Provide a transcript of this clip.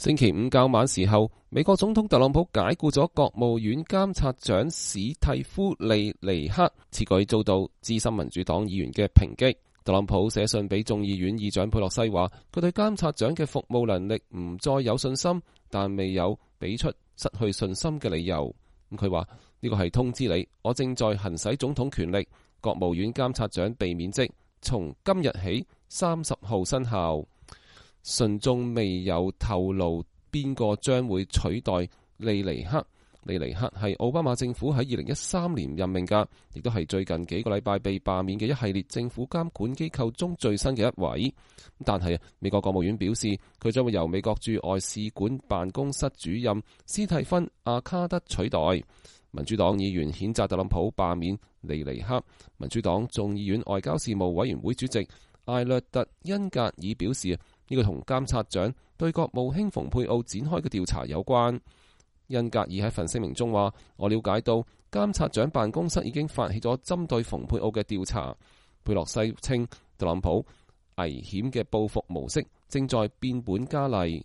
星期五較晚時候，美國總統特朗普解僱咗國務院監察長史蒂夫利尼克，此舉遭到資深民主黨議員嘅抨擊。特朗普寫信俾眾議院議長佩洛西話，佢對監察長嘅服務能力唔再有信心，但未有俾出失去信心嘅理由。佢話呢個係通知你，我正在行使總統權力，國務院監察長被免職，從今日起30號生效。信中未有透露邊個將會取代利尼克。利尼克係奧巴馬政府喺2013年任命嘅，亦都係最近幾個禮拜被罷免嘅一系列政府監管機構中最新嘅一位。但係美國國務院表示，佢將會由美國駐外使館辦公室主任斯蒂芬阿卡德取代。民主黨議員譴責特朗普罷免利尼克。民主黨眾議院外交事務委員會主席艾略特恩格爾表示，呢個同監察長對國務卿蓬佩奧展開嘅調查有關。恩格爾喺份聲明中話，我了解到監察長辦公室已經發起咗針對蓬佩奧嘅調查。佩洛西稱特朗普危險嘅報復模式正在變本加厲。